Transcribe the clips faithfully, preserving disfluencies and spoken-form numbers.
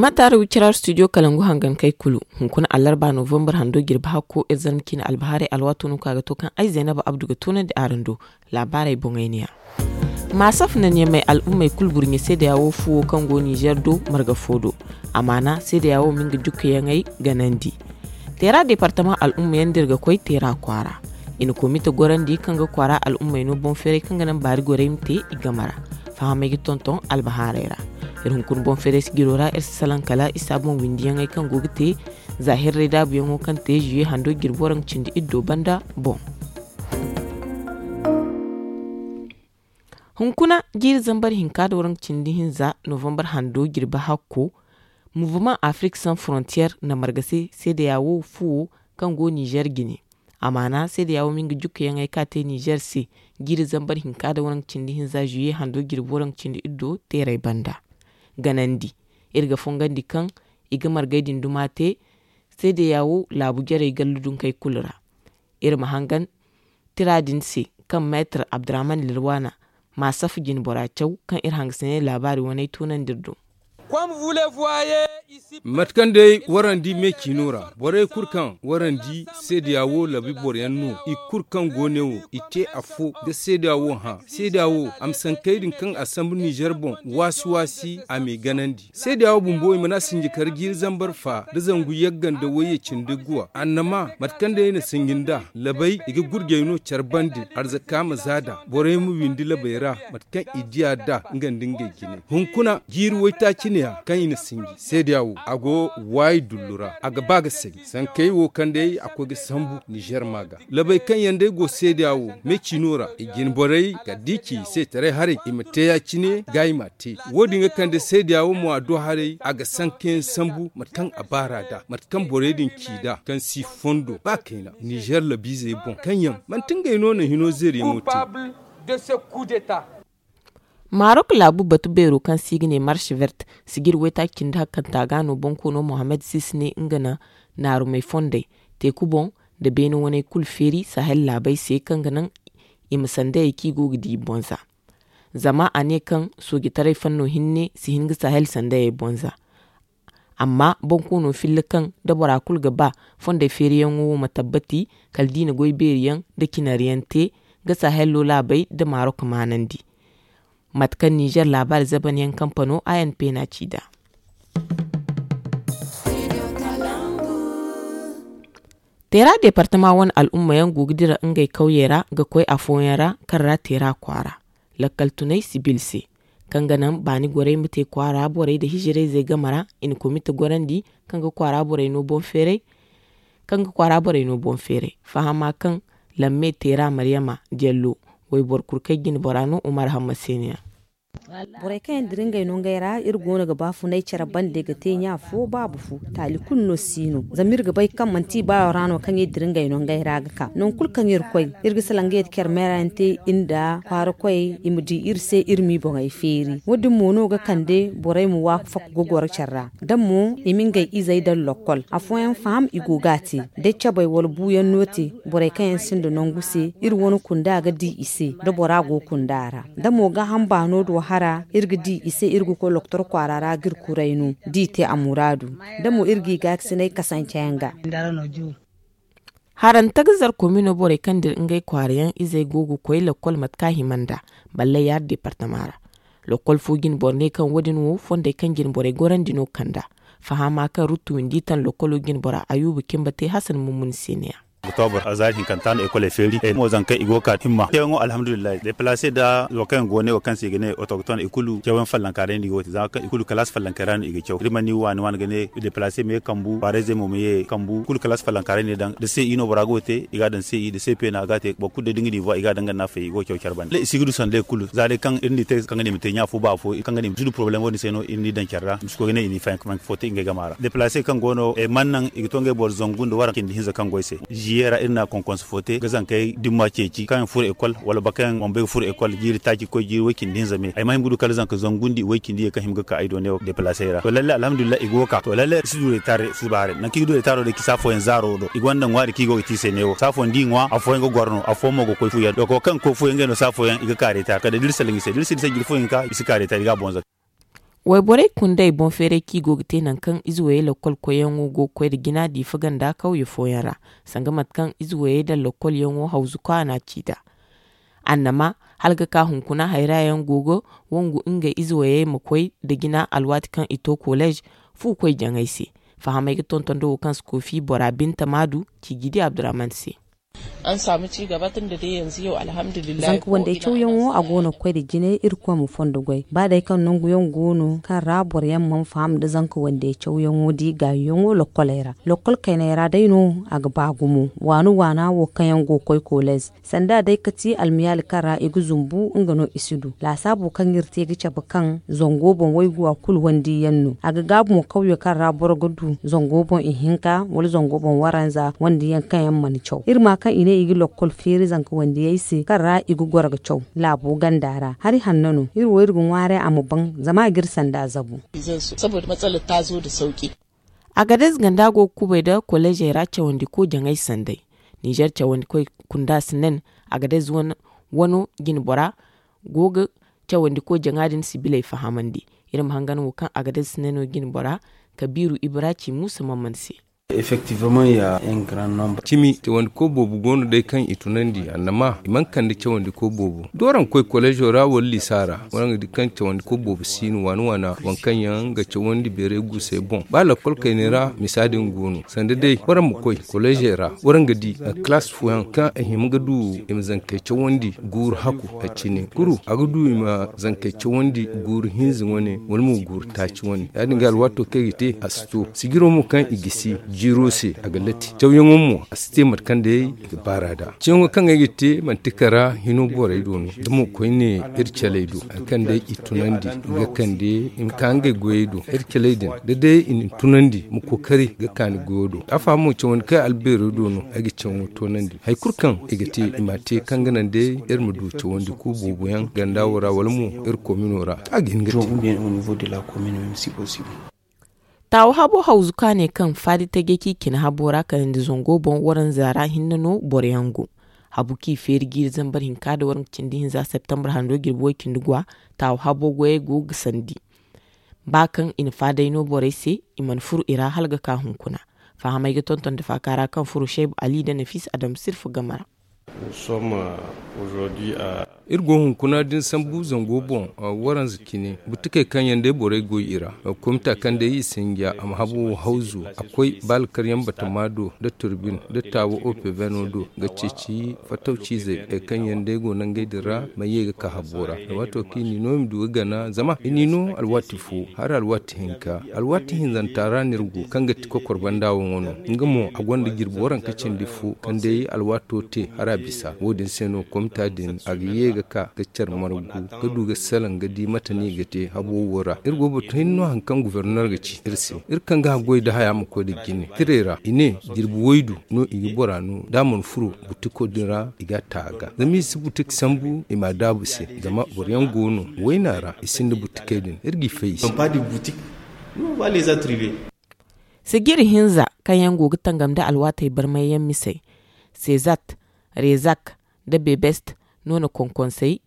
Mataara wicira studio kalangu hangankey kulu. Hunkuna allarba novembar hando jirbi hakko iri zarma ciine albahaarey alwaato no ka ga to kaŋ ay zaynaba abdu ga toonandi araŋ do. Laabaarey boŋey ne ya. Maasaf na ɲamay al'ummey kulu burɲe seedeya wo fuwo kaŋ go ninzeer do marga fo do. Amaana seedeya wo ma nga jukkayaŋey ganandi. Teera deepartamaŋ al'umma yaŋ da iri ga koy teera kwaara. I na komite gorandi kaŋ ga kwaara al'ummey no boŋ feeray kaŋ ga naŋ baari gorey ma te i game ra. Fahamey ga tonton albahaarey ra. Iri hunkuna boŋ feeray sijiro ra iri si salaŋ kala isa boŋ windiyaŋey kaŋ go ga te za hirray daabuyaŋo kaŋ te ziye hando jirbi waranka cindi iddo banda boŋ. Hunkuna jiiri zambar hinka da waranka cindi hinza novembar hando jirbi hakko. Mouvement afrique sans frontière na marga se seedeya wo fuwo kaŋ go ninzeer jine. Amaana seedeya wo ma nga jukkayaŋey ka te ninzeer se jiiri zambar hinka da waranka cindi hinza ziye hando jirbi waranka cindi iddo teeray banda. Ganandi iri ga fongandi kaŋ i ga margey din duma te seedeya wo laabu jarey gallu dunkey kulu ra. Iri ma hangan tira din se kaŋ meetar abdurrahman lirwana ma safa jine bora caw kaŋ iri hangasinay laabaari waney toonandi iri do. Mate kaŋ day warandi me ciino ra borey kulu kaŋ warandi seedeya wo labi boroyaŋ no i kulu kaŋ go ne wo i te afo ga seedeya wo hã seedeya wo a ma sankey din kaŋ a sambu ninzeer boŋ waasi waasi a m'i ganandi. Seedeya wo bumbo i mana sinji kar jiiri zambar fa da zangu yagga nda wayye cindi guwa annama mate kaŋ day i na sinji nd'a labay i ga gurjey no care bande arzaka ma za d'a borey ma windi labey ra mate kaŋ i diya d'a nga nda ngey jinay hunkuna jiiri waytaaci ne ya kaŋ i na sinji seedeya wo a go waayi dullu ra a ga ba ga sanji sankey wo kaŋ day a koy ga sambu ninzeer ma ga labey kaŋ yaŋ day go seedeya wo me ciino ra i jine borey kala da i ci i se taray haray i ma te ya- cine ga i m'a te wo- din ga kande seedeya wo mo a do haray a ga sanka yaŋ sambu mate kaŋ a baar'a nd'a mate kaŋ borey din ci nd'a kaŋ si fondo ba kayna ninzeer labiizey boŋ kaŋ yaŋ manti ngey no na hino zeeriyaŋo te. Maarok laabu batu beero kaŋ se i ga ne marsh vert sijir waytaaci cindi hakkanta ga no bonkoono mohammed sisi ne nga na naarumey fondey teeku boŋ nda beene waney kulu feeri sahel laabey se kaŋ ga naŋ i ma sandayey kaŋ i go ga di i boŋ za. Zama a ne kaŋ soojitaray fanno hinne si hin ga sahel sandayey boŋ za. Amma bonkoono filla kaŋ da bora kulu ga ba fondey feeriyaŋo wo ma tabbati kala da i na goy beeriyaŋ nda cinariyaŋ te ga sahel laabey nda maarok maanandi. Mate kaŋ ninzeer laabaari zabanyaŋ kampano a n p na ci nd'a. Teera deepartama wane al'umma yaŋ go ga dira ngey kawyey ra ga koy afooyaŋ ra kaŋ ra teera kwaara lakkal tunay sibil se kaŋ ga naŋ baani gorey ma te kwaara borey nda hijirayzey game ra i na komite gorandi kaŋ ga kwaara borey no boŋ feeray kaŋ ga kwaara borey no boŋ feeray fahama kaŋ lamme teera maryama jello wayboro kulu kaŋ jine bora no umar hamma se no ya. Borey kaŋ yaŋ dira ngey no ngey ra iri go no ga baafunay care bande ga te ɲa fo baabu fo taali kulu no si no zama iri ga bay kaŋ manti i baayo ra no kaŋ iri dira ngey no ngey ra ga ka nangu kulu kaŋ iri koy iri ga salaŋ ga yeti care meera yaŋ te iri nda kwaara koyey i ma di iri se iri m'i boŋey feeri wo- din mo no ga kande borey ma waafaku ga goro care ra da mo i ma ngey izey daŋ lokkol afooyaŋ faham i go ga a te da cabey wala buuyaŋ no te borey kaŋ yaŋ sinda nangu se iri wane kunda ga di i se da bora go kunda ra da mo gaaham baano do hara iri ga di i se iri ga koy lokotor kwaara ra ga iri kuray no da i te a muraadu da mo iri g'i gaakasinay kasanceyaŋ ga. Haranta ga zar komino borey kaŋ dira ngey kwaarayaŋ izey go ga koy lakkol mate kaŋ a hima nd'a ballay yaari deepartama ra. Lakkol fo jine boro ne kaŋ wo- din wo fondey kaŋ jine borey gorandi no kand'a fahama kaŋ ruttu windi taŋ lakkolo jine bora ayuba cimba te hasan mumuni se ne ya. Oktobor zaari hinkanta no ekoley feeri mo zankey i go ga ka himma teeyaŋo alhamdulillahi depalase nda wo kaŋ yaŋ go ne wo kaŋ se i ga ne otokton i kulu cawyaŋ fallanka day no i go ga te zama kaŋ i kulu kalaasi fallankey ra no i ga caw iri mana ni waani waani ga ne depalase ma ye kambu kwaarayzey mo ma ye kambu kulu kalaasi fallankaaray no i daŋ da se i no bora go ga te i ga daŋ se i da se peena ga te boro kulu day da nga ni vwa i ga daŋ ga naafay i go ga caw care banda i si ga du sanday kulu za day kaŋ iri n'i te kaŋ ga ne i ma te ɲa fo ba fo kaŋ ga ne i ma si du porobalem wo- din se no iri n'i daŋ care ra i ma si koy ga ne i n'i fayanka fo te ngey gama ra depalase kaŋ go no mana naŋ i ga to ngey boro zangu nda waranka cindi hinza kaŋ go ay se ziye ra iri na konkonse fo te ga zankey dimma ceeci kaŋ yaŋ furo ekol wala boro kaŋ yaŋ boŋ bay ga furo ekol jiiri taaci ga koy jiiri way cindi hinza me ay ma hima ga du kala zanka zangu nda i way cindi ye kaŋ hima ga ka ay do neewo depalasey ra to lalle alhamdulillahi i go ga ka to lalle i si du retar suba haray nangu kaŋ i ga du retaro day cisa fooyaŋ zaaro do i gonda ŋwaari kaŋ i go ga te i se neewo saafooyaŋ da i ŋwa afooyaŋ ga goro no afooyaŋ mo ga koy fuyaŋ do kaŋ ga koy fuyaŋ ngey no saafooyaŋ i ga ka retar kala da iri salaŋ i se da iri si di se jiiri fooyaŋ ga ka i si ka retar i ga a boŋ zaka. Wayborey kundey boŋ feeray kaŋ i go ga te nangu kaŋ ize wayey lakkol koyyaŋo go ga koy nda jina diifa ganda kawye fooyaŋ ra, sanga mate kaŋ ize wayey nda lakkolyaŋo hawzu kaana ci nd'a. Annama hala ga ka hunkuna hayra yaŋ go ga wangu ngey ize wayey ma koy nda jina alwaati kaŋ i to koleez fu koy jaŋay se. Fahamey ga tonton nda wo kaŋ si koofi bora binta maadu ci jidi abdurahman se. An saamu ci gaba tun da day yanzu yau alhamdulillah. Zanka wandey cawyaŋo a go no ga koy nda jinay irkoy ma fondo goy ba day kaŋ nangu yaŋ go no kaŋ ra boro yaŋ mana faham nda zanka wandey cawyaŋo di gaayi yaŋo lokkoley ra. Lokkol kayney ra day no a ga ba gumo waana waana wo kaŋ yaŋ go ga koy koleez sanda day ga ti almiyaali kaŋ ra i ga zumbu nga no i si du. Laasaabu kaŋ iri te ga cabe kaŋ zango boŋ wayguwa kulu wandiyaŋ no a ga gaabu mo kawyo kaŋ ra boro ga du zango boŋ ihinka wala zango boŋ waranza wandiyaŋ kaŋ yaŋ mana caw iri ma kaŋ i ne i ga lokkol feeri zanka wandiyey se kaŋ ra i ga goro ga caw. Laabo ganda ra hari hanno no iri wo iri ga ŋwaaray a ma baŋ zama a ga iri sanda zabu. Saboda matsalar ta zo da sauki. Agadez ganda go ga kubay nda koleezey ra cawandiko jaŋay sanday. Ninzeer cawandikoy kunda si nen agadez wano jinbora go ga cawandiko jaŋa din sibiley fahamandi. Iri ma hangan wo kaŋ agadez si neno jinbora kabiiru ibra ci muusa mamman se. Effectivement ya un grand nombre. Cimi cawandiko boobo go no day kaŋ i tunandi annama i mana kande cawandiko boobo doorankoy koleezo ra wala liisa ra. Waraŋ ga di kaŋ cawandiko boobo si no waana waana waŋ kaŋ yaŋ ga cawandi beeray guusey boŋ ba lakkol kayney ra misa din go no sanda day waraŋ ma koy koleezey ra waraŋ ga di kalaas fooyaŋ kaŋ i hima ga du i ma zankey cawandi guuru haku a cine kuru a ga du i ma zankey cawandi guuru hinza wane wala mo guuru taaci wane ya- din ga alwaato kaŋ i ga te a si to sijiro mo kaŋ i gisi jiiro se a ga lati cawyaŋo mo a si te mate kaŋ day i ga baara nd'a. Ciyaŋo kaŋ ay ga te manti kara hino borey do no da mo koyne iri caley do hari kaŋ day i tunandi i ga kande i ma ka ngey goyey do iri caley din da day i na ni tunandi ma kookari ga ka ni goyo do a fahamo cawandi kaŋ albeero do no ay ga ciyaŋo toonandi hari kulu kaŋ i ga te i ma a te kaŋ ga naŋ day iri ma du cawandi ku boobo yaŋ ganda wo ra wala mo iri komino ra a ga hin ga te. Taawa habo hawzu ka ne kaŋ faadi tajey kaŋ i cine habo ra kanandi zango boŋ waranza ra hinne no boro yaŋ go. Habu kaŋ i feeri jiiri zambar hinka nda waranka cindi hinza septembre hando jirbi way cindi gwa. Taawa habo goyey go ga sandi ba kaŋ i na faadey no borey se i mana furo i ra hala ga ka hunkuna. Fahamey ga tonton nda faaka ra kaŋ furo shaybu ali nda nafisa adama sirfa game ra. Iri go hunkuna da ni sambu zango boŋ waranza cine butikey kaŋ yaŋ day borey goy i ra. Komita kaŋ day i sinja a ma habo wo hawzu a koy ba alkaryaŋ batama do nda turbin nda taawa opeveno do ga ceeci fattaw ciizey hari kaŋ yaŋ day go nangey din ra ma ye ga ka habo ra. Waato kaŋ i n'i no i ma du ga gana zama i n'i no alwaati fo hari alwaati hinka alwaati hinzanta ra no iri go kaŋ ga ti kokor banda wo wano nga mo a gonda jirbi waranka cindi fo kaŋ day alwaato te hara bisa wo- din se no komita din a ga ye ga ka ga care margu ga du ga salaŋ ga di mate no i ga te habo wo ra iri go batu hinne no hari kaŋ gofornor ga ci iri se iri kaŋ ga haggoy nda haya ma koy nda jine tirey ra i ne jirbi waydu no i ga bora no da a mana furo butiko din ra i ga a ta a ga zama i si butik sambu i ma a daabu se zama boro yaŋ go no wayna ra i sinda butikey din iri g'i fay i se. Sijiri hinza kaŋ yaŋ go ga tangam nda alwaatey barmay yaŋ misey sezat rezak nda bebest no na konkonsey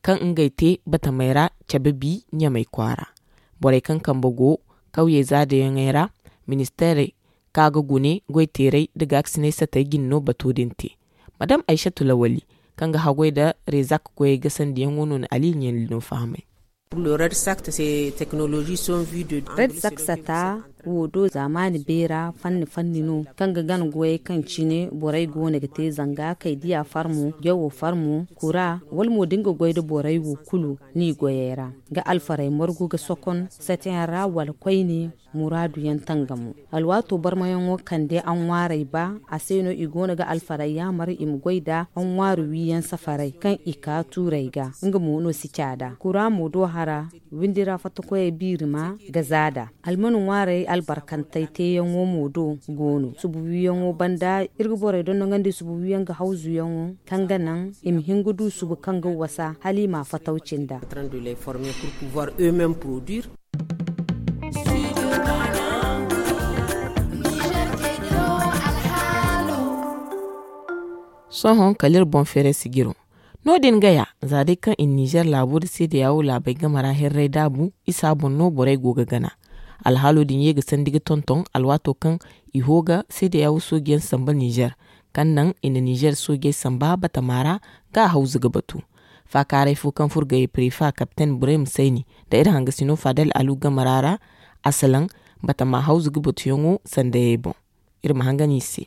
kaŋ ngey te batamey ra cabe bi ɲamey kwaara. Borey kaŋ kambe go kawye zaadayaŋey ra ministeerey kaŋ a ga gune goyteerey nda gaakasinay satey jine no bato din te. Madam aysatu lawali kaŋ ga haggoy nda rezak goyey gasandiyaŋo no na aliili ɲandi no fahamay. Red saksata wo do zaamaani beera fanni fanni no kaŋ ga gana goyey kaŋ cine borey go no ga te zanga kaydiya farmo jawo farmo kura wala mo da nga goy nda borey wo kulu n'i goyey ra ga alfarey margu ga sokon sateyaŋ ra wala koyne muraadu yaŋ tangamo. Alwaato barmayaŋo kande anwaarey ba a se no i go no ga alfarey yaamar i ma goy nda anwaaru wiiyaŋ safarey kaŋ i ka tuurey ga nga mo no si caada kura mo do hara windi ra fattakoyey biiri ma ga zaada almanu ŋwaarey albarkantey teeyaŋo mo do go no subu wiiyaŋo banda iri ga borey dondonandi subu wiiyaŋ ga hawzuyaŋo kaŋ ga naŋ i ma hin ga du subu kaŋ ga wasa hala i ma fattaw cinda. Sohõ kala iri boŋ feeray sijiro. No- din gaya, za day kaŋ i na nizer laabo nda seedeya wo laabey game ra hirray daabu isa boŋ no borey go ga gana. Alhaalo din ye ga sandi ga tonton alwaato kaŋ i hoo ga seedeya wo sooji yaŋ samba nizer, kaŋ naŋ i na nizer soojey samba batama ra ga a hawzu ga batu. Faakaaray fo kaŋ furo ga ye prefa kapten burem sayni nda iri hangasino fadel alu game ra ra, a salaŋ batama hawzu ga batuyaŋo sandayey boŋ. Iri ma hangan i se.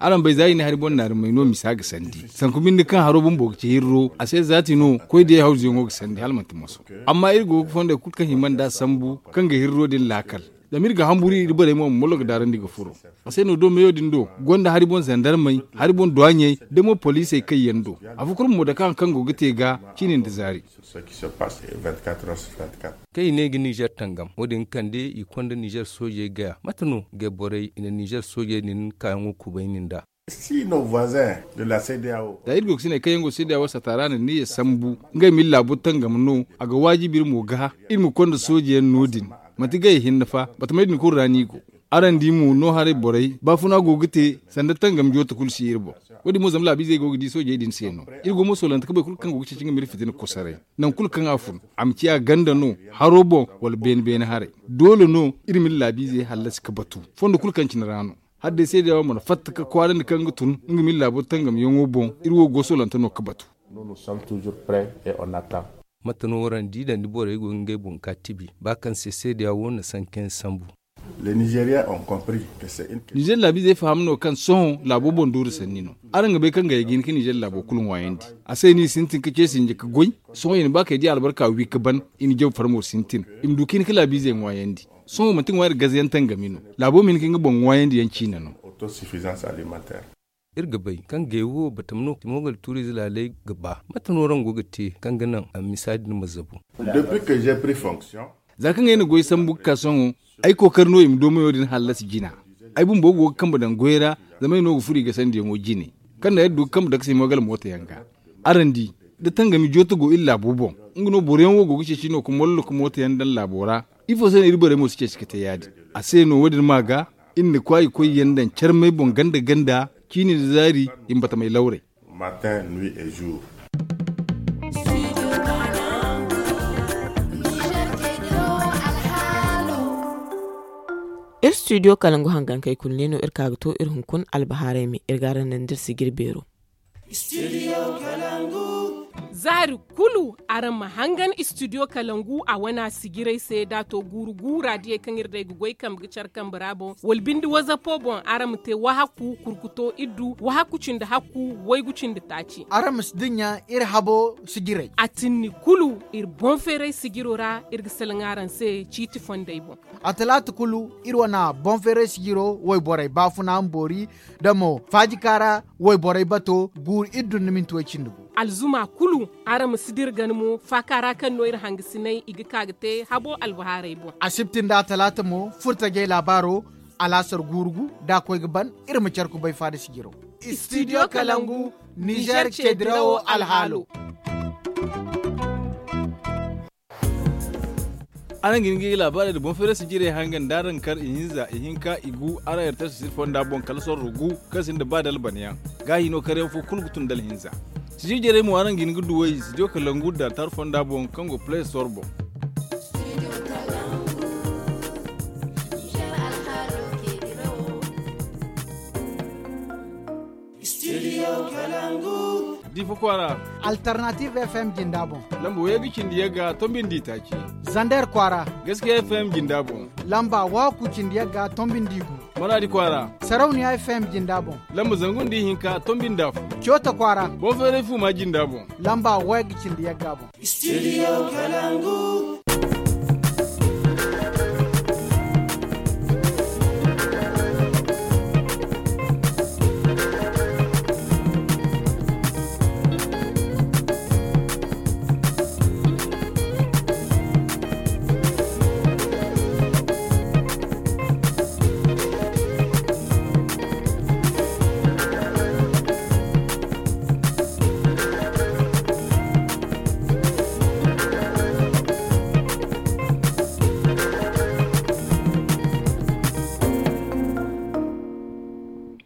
Araŋ bay za i na hari boŋ naari may no misa ga sandi sanku binde kaŋ haro bumbo ga ci hirro a se zaati no koy day hawzuyaŋo ga sandi hala manti moso. Amma iri go ga fondey kulu kaŋ hima nd'a sambu kaŋ ga hirro din laakal. Zama iri ga hamburu iri borey mo ma mollo ga daarandi ga furo. A se no do meyo din do gonda hari boŋ zandarmey, hari boŋ duwaaɲey, da mo poliisey kaŋ yaŋ do. Afo kulu mo dake haŋ kaŋ go ga te ga ciini nda zaari. Kaŋ i ne ga nizer tangam wo- din ga kande i konda nizer soojey gaya mate no ga borey i na nizer soojey din kaayaŋo kubay nin da? Za iri go ga sinay kaŋ yaŋ go seedeya wo sata ra na niya sambu ngey ma iri laabo tangam no, a ga waajibi iri mo ga iri ma konda sooje yaŋ no- din. Manti gay hinne fa batamey din kulu ra no i go. Araŋ di mo no haray borey baafuna go ga te sanda tangam joota kulu si iri boŋ. Wo- din mo zama laabiizey go ga di soojey din se no. Iri go mo soolante ka boro kulu kaŋ go ga ceeci nga ma iri fitina kosoray. Nangu kulu kaŋ a fun a ma ciya ganda no, haro boŋ, wala beene beene haray. Doole no iri ma iri laabiizey hallasi ka batu fondo kulu kaŋ cine ra no. Hala day seedeya wo mana fatta ka kwaarandi kaŋ ga tun nga ma iri laabo tangamyaŋo boŋ. Iri wo go soolante no ka batu. Mate no waraŋ di daŋ da borey go ga ngey boŋ ga tibi ba kaŋ se seedeya wo na sanka yaŋ sambu. Nizer laabiizey faham no kaŋ sohõ laabo boŋ doori sanni no. Araŋ ga bay kaŋ gaya ga hin ka nizer laabo kulu ŋwaayandi. A se no i sintin ka ce sinji ka goy. Sohõ i na ba kay di albarka wi ka ban. I na jaw farmo sintin i ma du ka hin ka laabiizey ŋwaayandi. Sohõ manti ŋwaari gazayaŋ tangami no. Laabo ma hin ka nga boŋ ŋwaayandi yaŋ ciine no. Iri ga bay kaŋ gay wo batam no timogal tuuriize laaley ga ba mate no raŋ go ga te kaŋ ga naŋ a misa din ma zabu? Za kaŋ ay na goy sambu ga ka sohõ ay kookari no i ma doomayo din hallasi jina. Ay bumbo go ga kambe daŋ goy ra zama ay no ga furo i gasandiyaŋo jine. Kaŋ naŋ ay du ga kambe daŋ ka simogal mooto yaŋ ga. Araŋ di da tangami joota go iri laabo boŋ, nga no boro yaŋ wo go ga ceeci no ga mollo ga mooto yaŋ daŋ laabo ra. Ifo se no iri borey mo si ceeci ka te ya- din? A se no wo- din ma ga iri na kwaayi koy yaŋ daŋ carmey boŋ ganda ganda ciini nda zaari i ma batamey lawrey. Iri studio kalangu hangankey kulu ne no iri ka ga to iri hunkuna albahaarey me iri ga araŋ naŋ da iri sijir beero. Zaari kulu araŋ ma hangan istidiyo kalangu a wane a sijirey se da a to guuru guura diyey kaŋ iri day ga goy kambe ga care kambe ra boŋ wala binde wazapo boŋ araŋ ma te wahakku kurkuto iddu wahakku cindi hakku waygu cindi taaci. Araŋ ma si dinya iri habo sijirey a tinni kulu iri boŋ feeray sijiro ra iri ga salaŋ araŋ se ciiti fondey boŋ. A talaata kulu iri wane boŋ feeray sijiro wayborey baafuna ma boori da mo faajika ra wayborey bato guuru iri dun ni minti way cindi gu. Alzuma kulu araŋ ma si dira gana mo faaka ra kaŋ no iri hangasiney i ga ka ga te habo albahaarey boŋ. Asibti nda talaata mo furtajey laabaaro alaasar guuru gu da a koy ga ban iri ma care kubay faada sijiro. Istidiyo kalangu nizer ceedirawo alhaalo. Araŋ ga hin ga i laabaarey nda boŋ feerasi jirey hangan da araŋ kar ihinza ihinka igu araŋ ertasi sir fonda boŋ kala sorro gu kaŋ sinda ba dalbanayaŋ. Gaahi no karyaŋ fo kulu ga tun dala hinza. Sijir jarey mo araŋ ga hin ga duwey sidiyo kalangu da tar fonda boŋ kaŋ go play store boŋ. Difa kwaara. Alternative fm jinda boŋ. Lamba wayga cindi yagga tombi nda itaaci. Zander kwaara. Gaskiya fm jinda boŋ. Lamba waku cindi yagga tombi nda igu. Maradi kwaara. Sarauniya fm jinda boŋ. Lamba zangu nda ihinka tombi nda afo. Coota kwaara. Boŋ feeray fuma jinda boŋ. Lamba wayga cindi yagga boŋ. Studio kalangu.